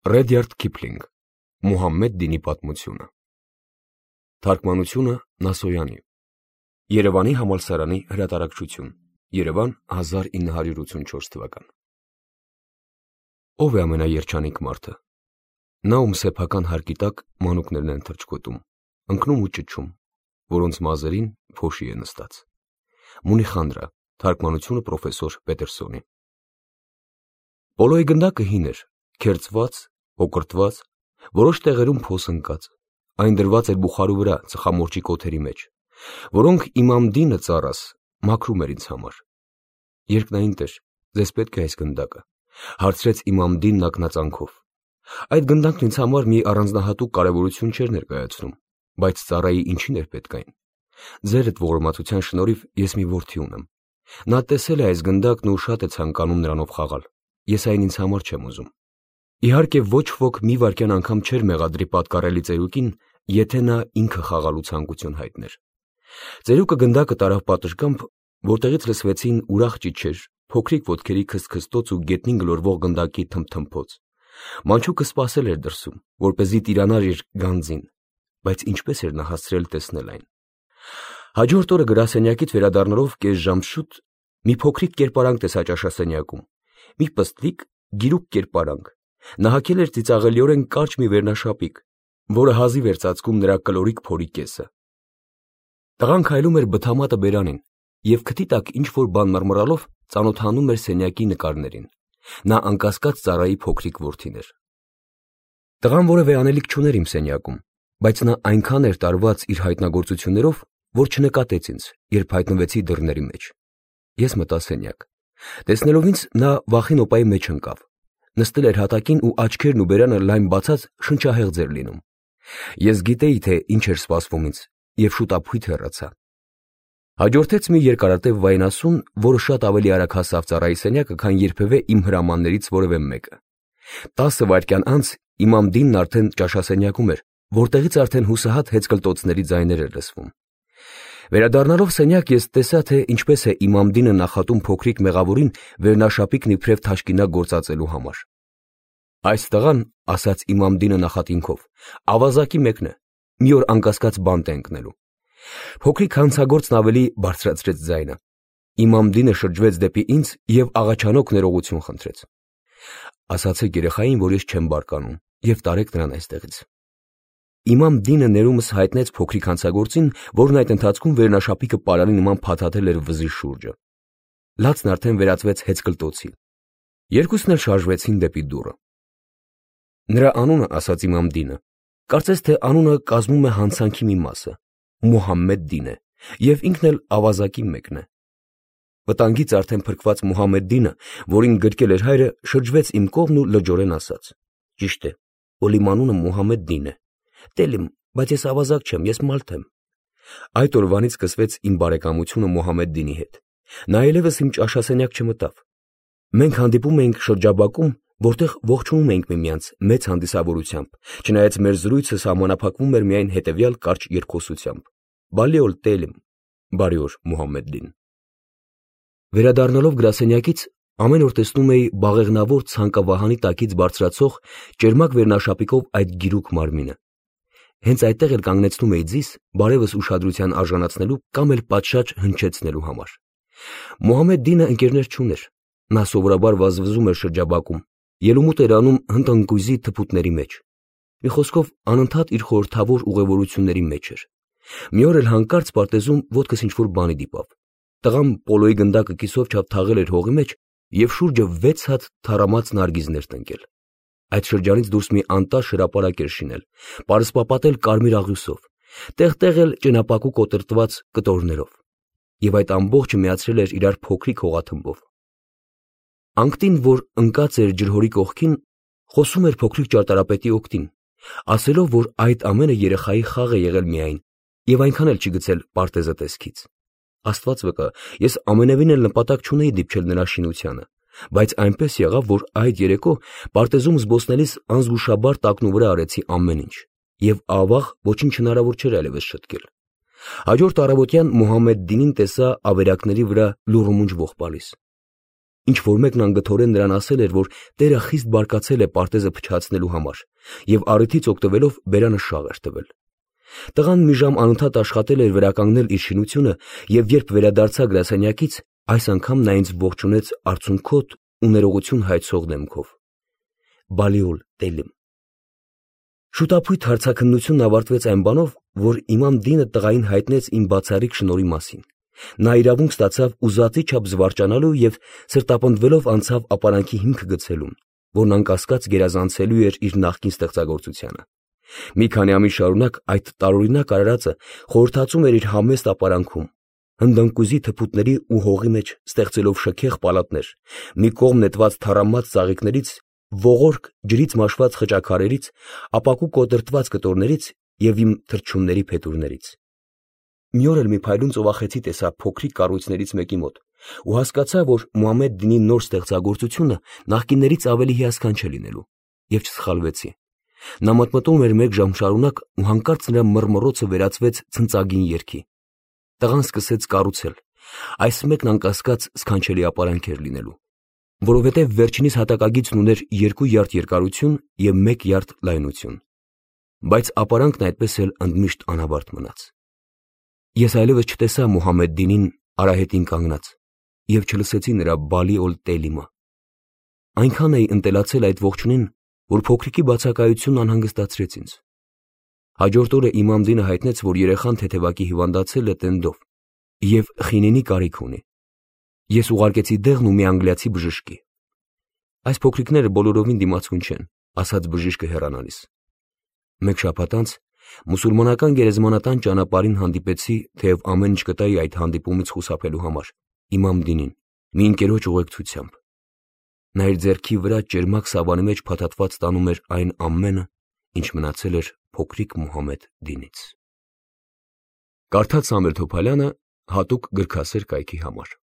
Ռեդյարդ Քիփլինգ Մուհամմեդ դինի պատմությունը Թարգմանությունը Նասոյանի Երևանի համալսարանի հրատարակչություն Երևան 1984 թվական Ով է ամենաերջանիկ մարդը Նա ում սեփական հարկի տակ մանուկներն են թռչկոտում ընկնում ու ճչում որոնց մազերին փոշի է նստած Մունիխանդրա թարգմանությունը պրոֆեսոր Պետերսոնի Պոլոյի գնդակը հին էր քերծված Հոկրտված, որոշ տեղերում փոս ընկած, այն դրված էր բուխարու վրա ծխամորճի կոթերի մեջ, որոնք Իմամ Դինը ծառաս մաքրում էր ինձ համար։ Երկնային Տեր, ձեզ պետք է այս գնդակը, հարցրեց Իմամ Դինն ակնածանքով։ Այդ գնդակն ինձ համար մի առանձնահատուկ կարևորություն չէր ներկայացնում, բայց ծառայի ինչին էր պետք այն։ Ձերդ ողորմածության շնորհիվ ես մի որդի ունեմ։ Նա տեսել է այս գնդակն ու շատ է ցանկանում նրանով խաղալ։ Ես այն ինձ համար չեմ ուզում։ Իհարկե ոչ ոք մի վայրկյան անգամ չէր մեղադրի պատկառելի ծերուկին, եթե նա ինքը խաղալու ցանկություն հայտներ։ Ծերուկը գնդակը տարավ պատշգամբ, որտեղից լսվեցին ուրախ ճիչեր, փոքրիկ ոտքերի քստքստոց ու գետնին գլորվող գնդակի թմթմփոց։ Մանչուկը սպասել էր դրսում, որպեսզի տիրանար իր գանձին, բայց ինչպես էր նա հասցրել տեսնել այն։ Հաջորդ օրը գրասենյակից վերադառնալով կես ժամ շուտ մի փոքրիկ կերպարանք տեսա ճաշասենյակում, մի պստլիկ, գիրուկ կերպարանք։ Նա հագել էր ծիծաղելիորեն կարճ մի վերնաշապիկ, որը հազիվ էր ծածկում նրա կլորիկ փորի կեսը։ Տղան քայլում էր բթամատը բերանին և քթի տակ ինչ-որ բան մռմռալով ծանոթանում էր սենյակի նկարներին։ Նա անկասկած ծառայի փոքրիկ որդին էր։ Տղան որևէ անելիք չուներ իմ սենյակում, բայց նա այնքան էր տարված իր հայտնագործություններով, որ չնկատեց ինձ, երբ հայտնվեցի դռների մեջ։ Ես մտա սենյակ։ Տեսնելով ինձ, նա վախին օպայի մեջ ընկավ։ Նստել էր հատակին ու աչքերն ու բերանը լայն բացած շնչահեղձ էր լինում։ Ես գիտեի, թե ինչ էր սպասվում ինձ և շուտ ապույտ հեռացա։ Հաջորդեց մի երկարատև վայնասուն, որը շատ ավելի արագ հասավ ծառայի սենյակը, քան երբևէ իմ հրամաններից որևէ մեկը։ 10 վայրկյան անց Իմամ Դինն արդեն ճաշասենյակում էր, որտեղից արդեն հուսահատ հեծկլտոցների ձայներ էր լսվում։ Վերադառնալով սենյակ ես տեսա, թե ինչպես է Իմամ Դինը նախատում փոքրիկ մեղավորին վերնաշապիկն իբրև թաշկինակ գործածելու համար։ Այս տղան, ասաց Իմամ Դինը նախատինքով, ավազակի մեկն է, մի օր անկասկած բանտ է ընկնելու։ Փոքրիկ հանցագործն ավելի բարձրացրեց ձայնը։ Իմամ Դինը շրջվեց դեպի ինձ և աղաչանոք ներողություն խնդրեց։ Ասացեք երեխային, որ ես չեմ բարկանում, և տարեք նրան այստեղից։ Իմամ Դինը ներումս հայտնեց փոքրիկ հանցագործին, որն այդ ընթացքում վերնաշապիկը պարանի նման փաթաթել էր վզի շուրջը։ Լացն արդեն վերածվեց հեծկլտոցի։ Երկուսն էլ շարժվեցին դեպի դուռը։ Նրա անունը, ասաց Իմամ Դինը, կարծես թե անունը կազմում է հանցանքի մի մասը, Մուհամմեդ Դին է, և ինքն էլ ավազակի մեկն է։ Վտանգից արդեն փրկված Մուհամմեդ Դինը, որին գրկել էր հայրը, շրջվեց իմ կողմն ու լրջորեն ասաց. Ճիշտ է, որ իմ անունը Մուհամմեդ Դին է։ Տելիմ, բայց ես ավազակ չեմ, ես մալթ եմ։ Այդ օրվանից սկսվեց իմ բարեկամությունը Մուհամմեդ Դինի հետ։ Նա այլևս իմ ճաշասենյակ չմտավ։ Մենք հանդիպում էինք շրջաբակում, որտեղ ողջունում էինք միմյանց մեծ հանդիսավորությամբ, չնայած մեր զրույցը սահմանափակվում էր միայն հետևյալ կարճ երկխոսությամբ. Բալի օլ Տելիմ, բարի օր Մուհամմեդ Դին։ Վերադառնալով գրասենյակից ամեն օր տեսնում էի բաղեղնավոր ցանկավահանի տակից բարձրացող ճերմակ վերնաշապիկով այդ գիրուկ մարմինը։ Հենց այդտեղ էլ կանգնեցնում էի ձիս բարևս ուշադրության արժանացնելու կամ էլ պատշաճ հնչեցնելու համար։ Մուհամմեդ Դինը ընկերներ չուներ։ Նա սովորաբար վազվզում էր շրջաբակում, ելումուտ էր անում հնդընկույզի թփուտների մեջ։ Մի խոսքով անընդհատ իր խորհրդավոր ուղևորությունների մեջ էր։ Մի օր էլ հանկարծ պարտեզում ոտքս ինչ-որ բանի դիպավ։ Տղան պոլոյի գնդակը կիսով չափ թաղել էր հողի մեջ և շուրջը 6 հատ թառամած նարգիզներ տնկել։ Այդ շրջանից դուրս մի անտաշ հրապարակ էր շինել, պարսպապատել կարմիր աղյուսով, տեղ-տեղ էլ ճենապակու կոտրտված կտորներով, և այդ ամբողջը միացրել էր իրար փոքրիկ հողաթմբով։ Անկտին, որ ընկած էր ջրհորի կողքին, խոսում էր փոքրիկ ճարտարապետի օգտին, ասելով, որ այդ ամենը երեխայի խաղ է եղել միայն և այնքան էլ չի գցել պարտեզը տեսքից։ Աստված վկա, ես ամենևին էլ նպատակ չունեի դիպչել նրա շինությանը, բայց այնպես եղավ, որ այդ երեկո պարտեզում զբոսնելիս անզգուշաբար տակնու վրա արեցի ամեն ինչ, և ավաղ ոչինչ հնարավոր չէր այլևս շտկել։ Հաջորդ առավոտյան Մուհամմեդ Դինին տեսա ավերակների վրա լուռումունջ ողբալիս։ Ինչ որ մեկն անգթորեն նրան ասել էր, որ Տերը խիստ բարկացել է պարտեզը փչացնելու համար, եւ առիթից օգտվելով բերանը շաղ էր տվել։ Տղան մի ժամ անընդհատ աշխատել էր վերականգնել իր շինությունը, եւ երբ վերադարձա գրասենյակից, այս անգամ նա ինձ ողջունեց արցունքոտ ու ներողություն հայցող դեմքով։ Բալիոլ Տելիմ։ Շուտապույտ հարցաքննությունն ավարտվեց այն բանով, որ Իմամ Դինը տղային հայտնեց իմ բացառիկ շնորհի մասին։ Նա իրավունք ստացավ ուզածի չափ զվարճանալու եւ սրտապնդվելով անցավ ապարանքի հիմքը գցելուն, որն անկասկած գերազանցելու էր իր նախկին ստեղծագործությանը։ Մի քանի ամիս շարունակ այդ տարօրինակ արարածը խորհրդածում էր իր համեստ ապարանքում, հնդընկուզի թփուտների ու հողի մեջ ստեղծելով շքեղ պալատներ, մի կողմ նետված թառամած ծաղիկներից, ողորկ ջրից մաշված խճաքարերից, ապակու կոտրտված կտորներից եւ իմ թռչունների փետուրներից։ Մի օր էլ մի փայլուն ծովախեցի տեսա փոքրիկ կառույցներից մեկի մոտ ու հասկացա, որ Մուհամմեդ Դինի նոր ստեղծագործությունը նախկիններից ավելի հիասքանչ է լինելու, եւ չսխալվեցի։ Նա մտմտում էր մեկ ժամ շարունակ ու հանկարծ նրա մռմռոցը վերածվեց ցնծագին երգի։ Տղան սկսեց կառուցել։ Այս մեկն անկասկած սքանչելի ապարանք էր լինելու, որովհետև վերջինիս հատակագիծն ուներ 2 յարդ երկարություն եւ 1 յարդ լայնություն։ Բայց ապարանքն այդպես էլ ընդմիշտ անավարտ մնաց։ Ես այլևս չտեսա Մուհամմեդ Դինին արահետին կանգնած եւ չլսեցի նրա Բալիոլ Տելիմը։ Այնքան էի ընտելացել այդ ողջունին, որ փոքրիկի բացակայությունն անհանգստացրեց ինձ։ Հաջորդ օրը Իմամ Դինը հայտնեց, որ երեխան թեթևակի հիվանդացել է տենդով եւ խինինի կարիք ունի։ Ես ուղարկեցի դեղն ու մի անգլիացի բժշկի։ Այս փոքրիկները բոլորովին դիմացկուն չեն, ասաց բժիշկը հեռանալիս։ Մեկ շաբաթ անց մուսուլմանական գերեզմանատան ճանապարհին հանդիպեցի, թեև ամեն ինչ կտայի այդ հանդիպումից խուսափելու համար, Իմամ Դինին, մի ընկերոջ ուղեկցությամբ։ Նա իր ձեռքի վրա ճերմակ սավանի մեջ փաթաթված տանում էր այն ամենը, ինչ մնացել էր փոքրիկ Մուհամմեդ Դինից։ Կարդաց Սամվել Թոփալյանը հատուկ գրքասեր կայքի համար։